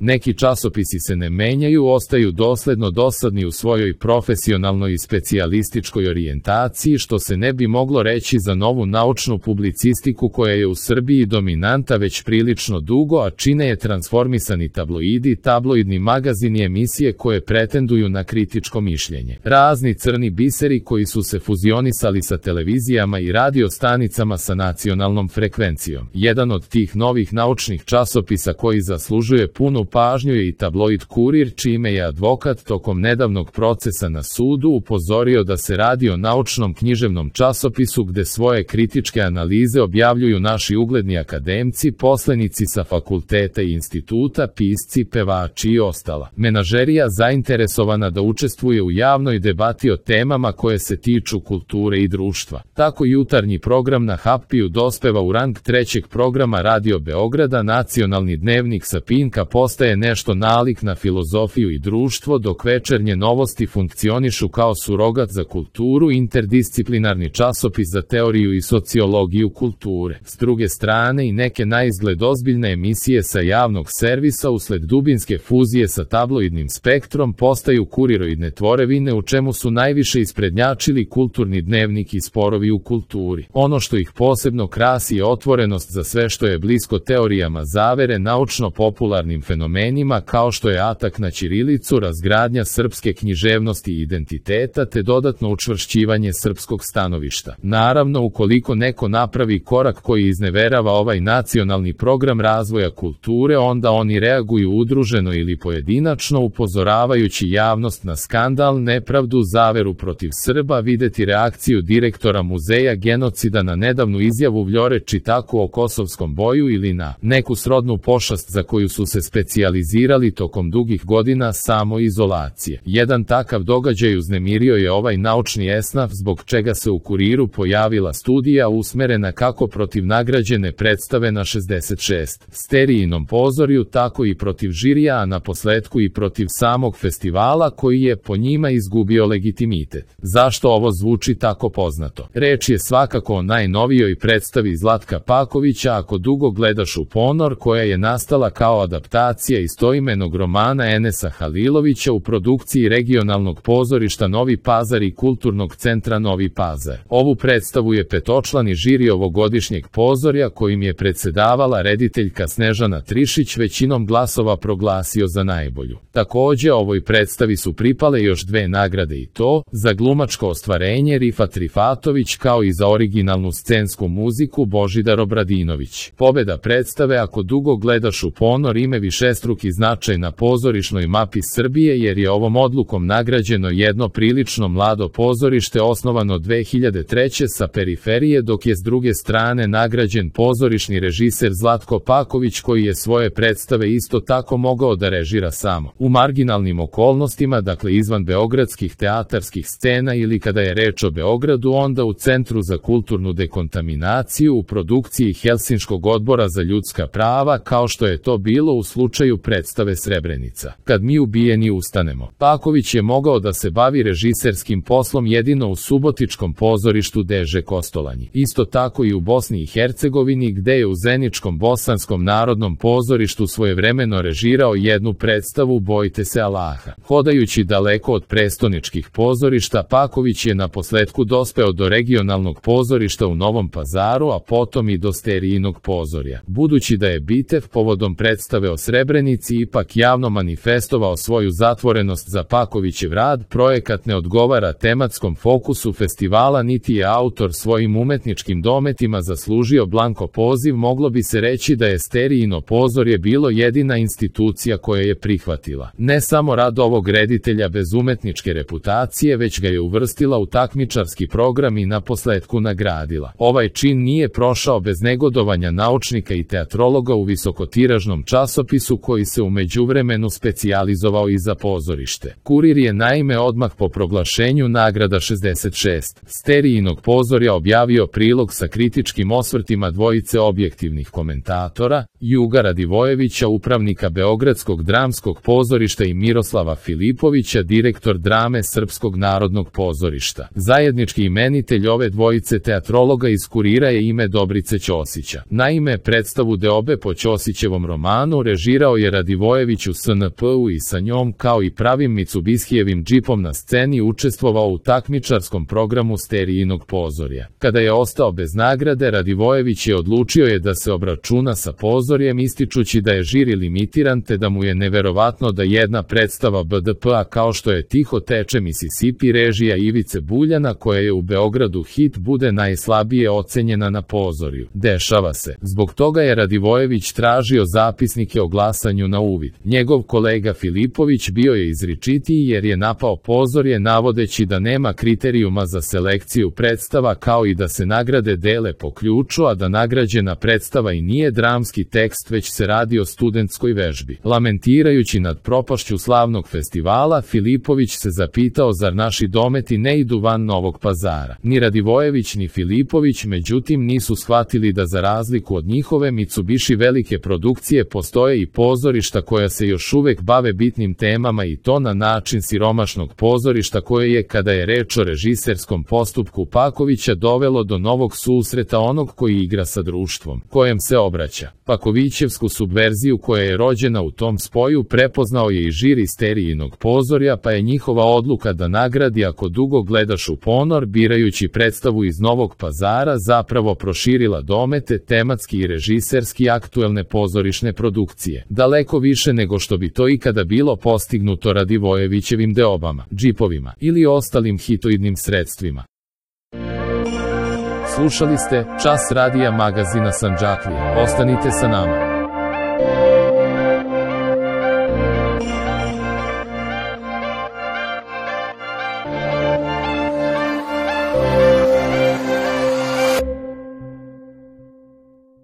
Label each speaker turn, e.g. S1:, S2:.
S1: Neki časopisi se ne menjaju, ostaju dosledno dosadni u svojoj profesionalnoj i specijalističkoj orijentaciji, što se ne bi moglo reći za novu naučnu publicistiku koja je u Srbiji dominanta već prilično dugo, a čine je transformisani tabloidi, tabloidni magazini i emisije koje pretenduju na kritičko mišljenje. Razni crni biseri koji su se fuzionisali sa televizijama i radio stanicama sa nacionalnom frekvencijom. Jedan od tih novih naučnih časopisa koji zaslužuje punu pažnju je i tabloid Kurir, čime je advokat tokom nedavnog procesa na sudu upozorio da se radi o naučnom književnom časopisu gde svoje kritičke analize objavljuju naši ugledni akademci, poslenici sa fakulteta i instituta, pisci, pevači i ostala menažerija zainteresovana da učestvuje u javnoj debati o temama koje se tiču kulture i društva. Tako jutarnji program na Happiju dospeva u rang trećeg programa Radio Beograda, nacionalni dnevnik sa Pinka postaje nešto nalik na filozofiju i društvo, dok večernje novosti funkcionišu kao surogat za kulturu, interdisciplinarni časopis za teoriju i sociologiju kulture. S druge strane i neke naizgled ozbiljne emisije sa javnog servisa usled dubinske fuzije sa tabloidnim spektrom postaju kuriroidne tvorevine u čemu su najviše isprednjačili kulturni dnevnik i sporovi u kulturi. Ono što ih posebno krasi je otvorenost za sve što je blisko teorijama zavere, naučno-popularnim fenomenima kao što je atak na ćirilicu, razgradnja srpske književnosti i identiteta te dodatno učvršćivanje srpskog stanovišta. Naravno, ukoliko neko napravi korak koji izneverava ovaj nacionalni program razvoja kulture, onda oni reaguju udruženo ili pojedinačno, upozoravajući javnost na skandal, nepravdu, zaveru protiv Srba, videti reakciju direktora muzeja genocida na nedavnu izjavu Vljore Čitaku o kosovskom boju ili na neku srodnu pošast za koju su se specijalizirali tokom dugih godina samoizolacije. Jedan takav događaj uznemirio je ovaj naučni esnaf, zbog čega se u Kuriru pojavila studija usmerena kako protiv nagrađene predstave na 66 sterijinom pozorju, tako i protiv žirija, a naposletku i protiv samog festivala koji je po njima izgubio legitimitet. Zašto ovo zvuči tako poznato? Reč je svakako o najnovijoj predstavi Zlatka Pakovića Ako dugo gledaš u ponor, koja je nastala kao adaptacija istoimenog romana Enesa Halilovića u produkciji regionalnog pozorišta Novi Pazar i Kulturnog centra Novi Pazar. Ovu predstavu je petočlani žiri ovogodišnjeg pozorja, kojim je predsedavala rediteljka Snežana Trišić, većinom glasova proglasio za najbolju. Takođe, ovoj predstavi su pripale još dve nagrade, i to za glumačko ostvarenje Rifat Rifatović kao i za originalnu scensku muziku Božidar Obradinović. Pobeda predstave Ako dugo gledaš u ponor ima višestruki značaj na pozorišnoj mapi Srbije, jer je ovom odlukom nagrađeno jedno prilično mlado pozorište osnovano 2003. sa periferije, dok je s druge strane nagrađen pozorišni režiser Zlatko Paković, koji je svoje predstave isto tako mogao da režira samo u marginalnim okolnostima, dakle izvan beogradskih teatarskih scena, ili kada je reč o Beogradu, onda u Centru za kulturnu dekontaminaciju u produkciji Helsinškog odbora za ljudska prava, kao što je to bilo u slučaju predstave Srebrenica. Kad mi ubijeni ustanemo. Paković je mogao da se bavi režiserskim poslom jedino u subotičkom pozorištu Deže Kostolanji. Isto tako i u Bosni i Hercegovini, gde je u Zeničkom bosanskom narodnom pozorištu svojevremeno režirao jednu predstavu Bojte se Allaha. Hodajući daleko od prestoničkih pozorišta, Paković je naposletku dospeo do regionalnog pozorišta u Novom Pazaru, a potom i do sterijinog pozorja. Budući da je Bitev povodom predstave o Srebrenici ipak javno manifestovao svoju zatvorenost za Pakovićev rad, projekat ne odgovara tematskom fokusu festivala, niti je autor svojim umetničkim dometima zaslužio blanko poziv, moglo bi se reći da je sterijino pozorje bilo jedina institucija koja je prihvatila ne samo rad ovog reditelja bez umetničke reputacije, već ga je uvrstila u takmičarski program i naposletku nagradila. Ovaj čin nije prošao bez negodovanja naučnika i teatrologa u visokotiražnom časopisu koji se u međuvremenu specijalizovao i za pozorište. Kurir je naime odmah po proglašenju nagrada 66 sterijinog pozorja objavio prilog sa kritičkim osvrtima dvojice objektivnih komentatora, Juga Radivojevića, upravnika Beogradskog dramskog pozorišta, i Miroslava Filipovića, direktor drame Srpskog narodnog pozorišta. Zajednički imenitelj ove dvojice teatrologa iz Kurira je ime Dobrice Ćosića. Naime, predstavu Deobe po Ćosićevom romanu režirao Igrao je Radivojević u SNP-u i sa njom kao i pravim Mitsubishijevim džipom na sceni učestvovao u takmičarskom programu Sterijinog pozorja. Kada je ostao bez nagrade, Radivojević je odlučio da se obračuna sa pozorjem, ističući da je žiri limitiran te da mu je neverovatno da jedna predstava BDP-a kao što je Tiho teče Mississippi režija Ivice Buljana, koja je u Beogradu hit, bude najslabije ocenjena na pozorju. Dešava se. Zbog toga je Radivojević tražio zapisnike o glasanju na uvid. Njegov kolega Filipović bio je izričitiji jer je napao pozorje navodeći da nema kriterijuma za selekciju predstava, kao i da se nagrade dele po ključu, a da nagrađena predstava i nije dramski tekst već se radi o studentskoj vežbi. Lamentirajući nad propašću slavnog festivala, Filipović se zapitao zar naši dometi ne idu van Novog Pazara. Ni Radivojević ni Filipović međutim nisu shvatili da za razliku od njihove Mitsubishi velike produkcije postoje i pozorišta koja se još uvek bave bitnim temama, i to na način siromašnog pozorišta koje je, kada je reč o režiserskom postupku Pakovića, dovelo do novog susreta onog koji igra sa društvom kojem se obraća. Pakovićevsku subverziju koja je rođena u tom spoju prepoznao je i žiri Sterijinog pozorja, pa je njihova odluka da nagradi Ako dugo gledaš u ponor, birajući predstavu iz Novog Pazara, zapravo proširila domete tematski i režiserski aktuelne pozorišne produkcije, daleko više nego što bi to ikada bilo postignuto Radivojevićevim deobama, džipovima ili ostalim hitoidnim sredstvima. Slušali ste Čas radija magazina Sandžaklija. Ostanite sa nama.